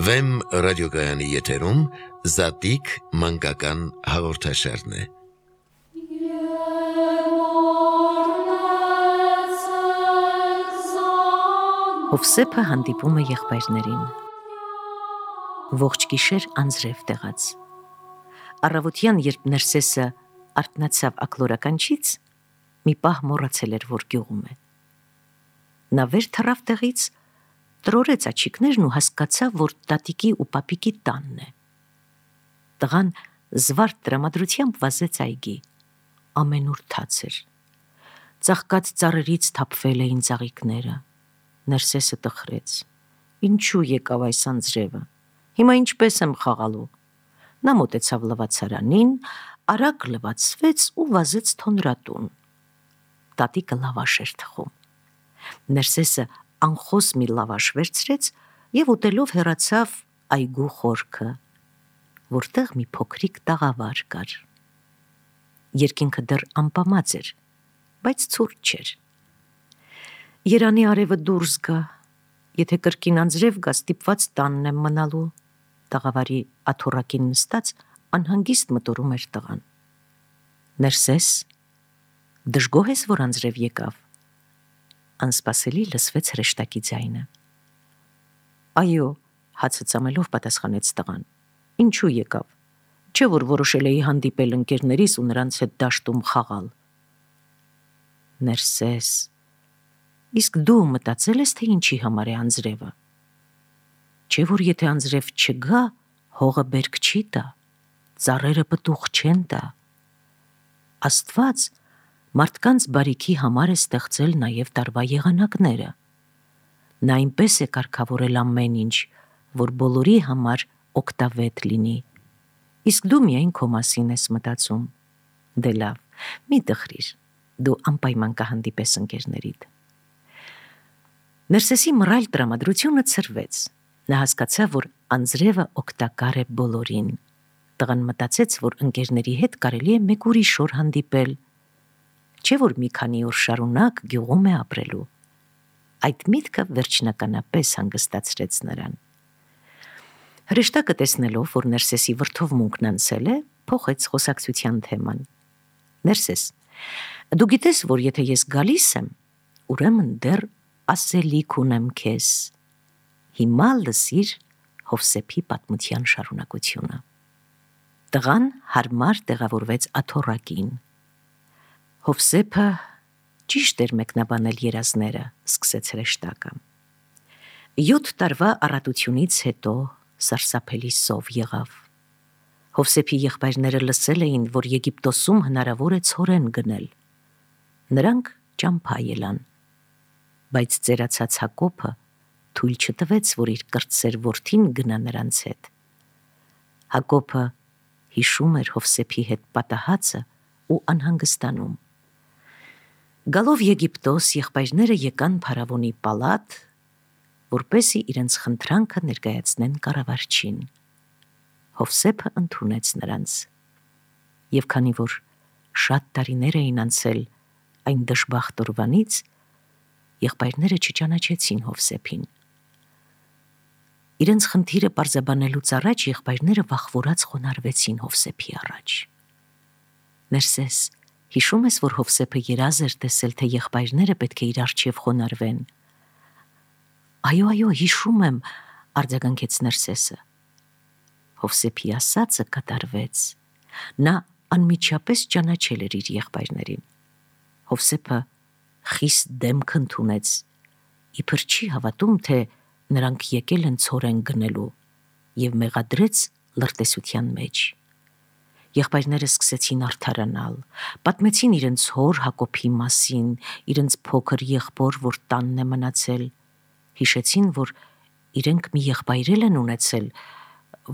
Վեմ ռադիոգայանի եթերում Զատիկ մանկական հաղորդաշարն է։ Հովսեփը հանդիպում է եղբայրներին։ Ողջ գիշեր անձրև տեղաց։ Առավոտյան, երբ Ներսեսը արթնացավ ակլորականչից, մի պահ մոռացել էր, որ գյուղում է։ Նա վեր թռավ տեղից, տրորեց աչիկներն ու հասկացավ, որ տատիկի ու պապիկի տանն է։ Տղան զվարթ տրամադրությամբ վազեց այգի։ Ամենուր թաց էր։ Ծաղկած ծառերից թափվել էին ծաղիկները։ Ներսեսը տխրեց. ինչու եկավ այս անձրևը, հիմա ինչպես եմ խաղալու։ Նա մոտեցավ լվացարանին, արագ լվացվեց ու վազեց թոնրատուն։ Տատիկը լավաշ էր թխում։ Ներսեսը անխոս մի լավաշ վերցրեց և ուտելով հեռացավ այգու խորքը, որտեղ մի փոքրիկ տաղավար կար։ Երկինքը դեռ ամպամած էր, բայց ցուրտ չէր։ Երանի արևը դուրս գա, եթե կրկին անձրև գա, ստիպված տանն եմ մնալու, տաղավարի աթոռակին նստած անհանգիստ մտորում էր տղան։ Ներսես, դժգոհ ես, որ անձրև եկավ։ Անսպասելի լսվեց հրեշտակի ձայնը։ Այո, հացը ծամելով պատասխանեց տղան։ Ինչու եկավ, չէ որ որոշել էի հանդիպել ընկերներիս ու նրանց հետ դաշտում խաղալ։ Ներսես, իսկ դու մտածել ես, թե ինչի համար է անձրևը։ Չէ որ եթե անձրև չգա, հողը բերք չի տա, ծառերը պտուղ չեն տա։ Աստված մարդկանց բարիքի համար է ստեղծել նաև տարվա եղանակները։ Նա այնպես է կարգավորել ամեն ինչ, որ բոլորի համար օգտավետ լինի։ Իսկ դու միայն քո մասին ես մտածում։ Դե լավ, մի տխրիր, դու անպայման կհանդիպես ընկերներիդ։ Ներսեսի մռայլ տրամադրությունը ցրվեց։ Նա հասկացավ, որ անձրևը օգտակար է բոլորին։ Տղան մտածեց, որ ընկերների հետ կարելի է մեկ ուրիշ օր հանդիպել, չէ որ մի քանի օր շարունակ գյուղում է ապրելու։ Այդ միտքը վերջնականապես հանգստացրեց նրան։ Հրեշտակը տեսնելով, որ Ներսեսի վրդովմունքն անցել է, փոխեց խոսակցության թեման։ Ներսես, դու գիտես, որ եթե ես գալիս եմ, ուրեմն դեռ ասելիք ունեմ քեզ։ Հիմա լսիր Հովսեփի պատմության շարունակությունը։ Տղան հարմար տեղավորվեց աթոռակին։ Հովսեփը ճիշտ էր մեկնաբանել երազները, սկսեց հրեշտակը։ 7 տարվա առատությունից հետո սարսափելի սով եղավ։ Հովսեփի եղբայրները լսել էին, որ Եգիպտոսում հնարավոր է ցորեն գնել։ Նրանք ճամփա ելան, բայց ծերացած Հակոբը թույլ չտվեց, որ իր կրտսեր որդին գնա նրանց հետ։ Հակոբը հիշում էր Հովսեփի հետ պատահածը ու անհանգստանում։ Գալով Եգիպտոս, եղբայրները եկան փարավոնի պալատ, որպեսզի իրենց խնդրանքը ներկայացնեն կառավարչին։ Հովսեփը ընդունեց նրանց։ Եվ քանի որ շատ տարիներ էին անցել այն դժբախտ օրվանից, եղբայրները չճանաչեցին Հովսեփին։ Իրենց խնդիրը պարզաբանելուց առաջ եղբայրները վախվորած խոնարհվեցին Հովսեփի առաջ։ Ներսես, հիշում ես, որ Հովսեփը երազ էր տեսել, թե եղբայրները պետք է իր առջև խոնարհվեն։ Այո, հիշում եմ, արձագանքեց Ներսեսը։ Հովսեփի ասածը կատարվեց։ Նա անմիջապես ճանաչել էր իր եղբայրներին։ Հովսեփը խիստ դեմք ընդունեց, իբր չի հավատում, թե նրանք եկել են ցորեն գնելու, և մեղադրեց լրտեսության մեջ։ Եղբայրները սկսեցին արդարանալ, պատմեցին իրենց հոր Հակոբի մասին, իրենց փոքր եղբոր, որ տանն է մնացել, հիշեցին, որ իրենք մի եղբայր են ունեցել,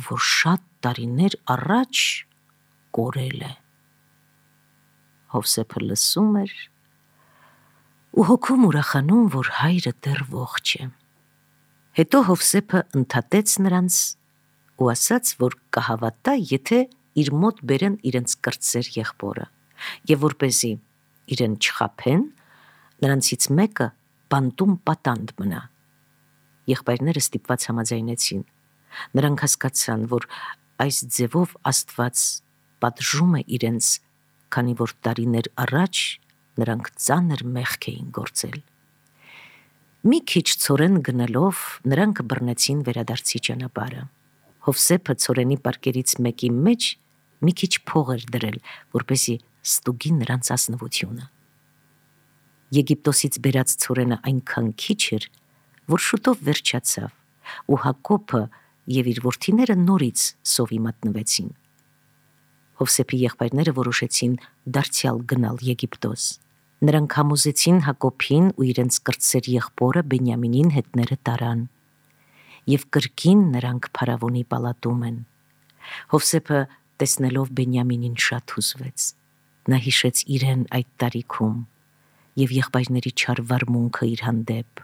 որ շատ տարիներ առաջ կորել է։ Հովսեփը լսում էր ու հոգում ուրախանում, որ հայրը դեռ ողջ է։ Հետո Հովսեփը ընդհատեց նրանց ու ասաց, որ կհավատա, եթե իր մոտ բերեն իրենց կրտսեր եղբորը, և որպեսզի իրեն չխաբեն, նրանցից մեկը բանտում պատանդ մնա։ Եղբայրները ստիպված համաձայնեցին։ Նրանք հասկացան, որ այս ձևով Աստված պատժում է իրենց, քանի որ տարիներ առաջ նրանք ծանր մեղք էին գործել։ Մի քիչ ցորեն գնալով նրանք բռնեցին վերադարձի ճանապարհը։ Հովսեփը ցորենի պարկերից մեկի մեջ մի քիչ փող էր դրել, որպեսզի ստուգի նրանց ազնվությունը։ Եգիպտոսից բերած ցորենը այնքան քիչ էր, որ շուտով վերջացավ, ու Հակոբը եւ իր որդիները նորից սովի մատնվեցին։ Հովսեփի եղբայրները որոշեցին դարձյալ գնալ Եգիպտոս։ Նրանք համոզեցին Հակոբին ու իրենց կրտսեր եղբորը Բենյամինին հետները տարան, եւ կրկին նրանք փարավոնի պալատում են։ Հովսեփը տեսնելով Բենյամինին շատ հուզվեց։ Նա հիշեց իրեն այդ տարիքում եւ եղբայրների չար վարմունքը իր հանդեպ։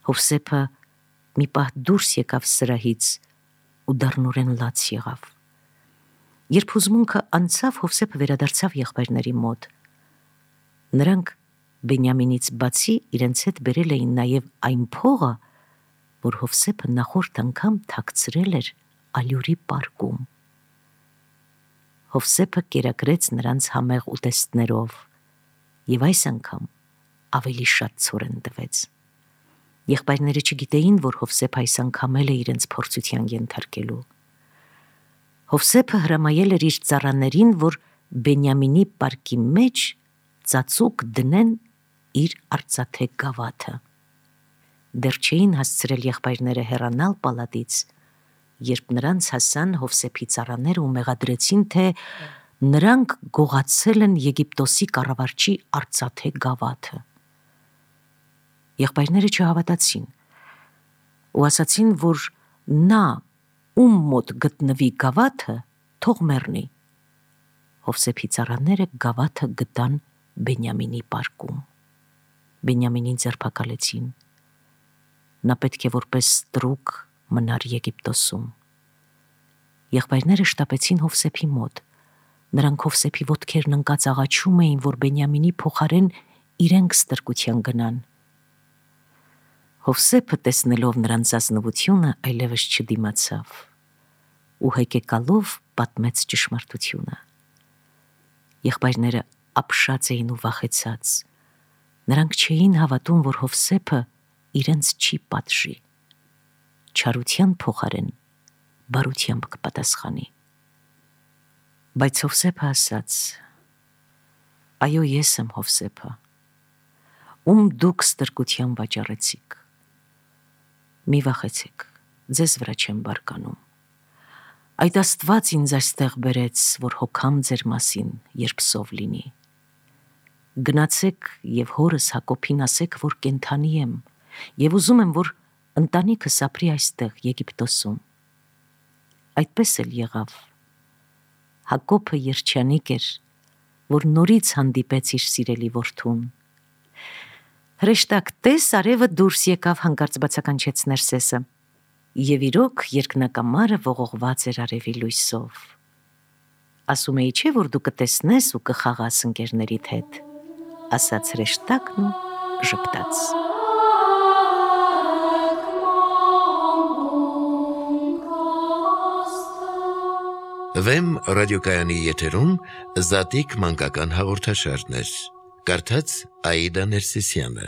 Հովսեփը մի պահ դուրս եկավ սրահից ու դառնորեն լաց եղավ։ Երբ հուզմունքը անցավ, Հովսեփը վերադարձավ եղբայրների մոտ։ Նրանք Բենյամինից բացի իրենց հետ բերել էին նաև այն փողը, որ Հովսեփը նախորդ անգամ թաքցրել էր ալյուրի պարկում։ Հովսեփը կերակրեց նրանց համեղ ուտեստներով եւ այս անգամ ավելի շատ ցորեն տվեց։ Եղբայրները չգիտեին, որ Հովսեփը այս անգամ էլ է իրենց փորձության ենթարկելու։ Հովսեփը հրամայել էր իր ծառաներին, որ Բենյամինի պարկի մեջ ծածուկ դնեն իր արծաթե գավաթը։ Դեռ չէին հասցրել եղբայրները հեռանալ պալատից, երբ նրանց հասան Հովսեփի ծառաները ու մեղադրեցին, թե նրանք գողացել են Եգիպտոսի կառավարչի արծաթե գավաթը։ Եղբայրները չհավատացին ու ասացին, որ նա ում մոտ գտնվի գավաթը, թող մեռնի։ Հովսեփի ծառաները գավաթը գտան Բենյամինի պարկում։ Բենյամինին ձերբակալեցին։ Նա պետք է որպես ստրուկ մնար Եգիպտոսում։ Եղբայրները շտապեցին Հովսեփի մոտ։ Նրանք Հովսեփի ոտքերն ընկած աղաչում էին, որ Բենյամինի փոխարեն իրենք ստրկության գնան։ Հովսեփը, տեսնելով նրանց ազնվությունը, այլևս չդիմացավ ու հեկեկալով պատմեց ճշմարտությունը։ Եղբայրները ապշած էին ու վախեցած։ Նրանք չէին հավատում, որ Հովսեփը իրենց չի պատժի։ Չարության փոխարեն բարությամբ կպատասխանի։ Բայց Հովսեփը ասաց. «Այո, ես եմ Հովսեփը, ում դուք ստրկության վաճառեցիք։ Մի վախեցեք, ձեզ վրա չեմ բարկանում։ Այդ Աստված ինձ այստեղ բերեց, որ հոգամ ձեր մասին, երբ սով լինի։ Գնացեք եւ հորս Հակոբին ասեք, որ կենդանի եմ եւ ուզում եմ, որ ընտանիքս ապրի այստեղ Եգիպտոսում»։ Այդպես էլ եղավ։ Հակոբը երջանիկ էր, որ նորից հանդիպեց իր սիրելի որդուն։ Հրեշտակ, տես, արևը դուրս եկավ, հանկարծ բացականչեց Ներսեսը։ Եվ իրոք երկնակամարը ողողված էր արևի լույսով։ Ասում էի, չէ՞ որ դու կտեսնես ու կխաղաս ընկերներիդ հետ, ասաց հրեշտակն ու ժպտաց։ Վեմ ռադիոկայանի եթերում Զատիկ մանկական հաղորդաշարներ։ Կարդաց Աիդա Ներսիսյանը։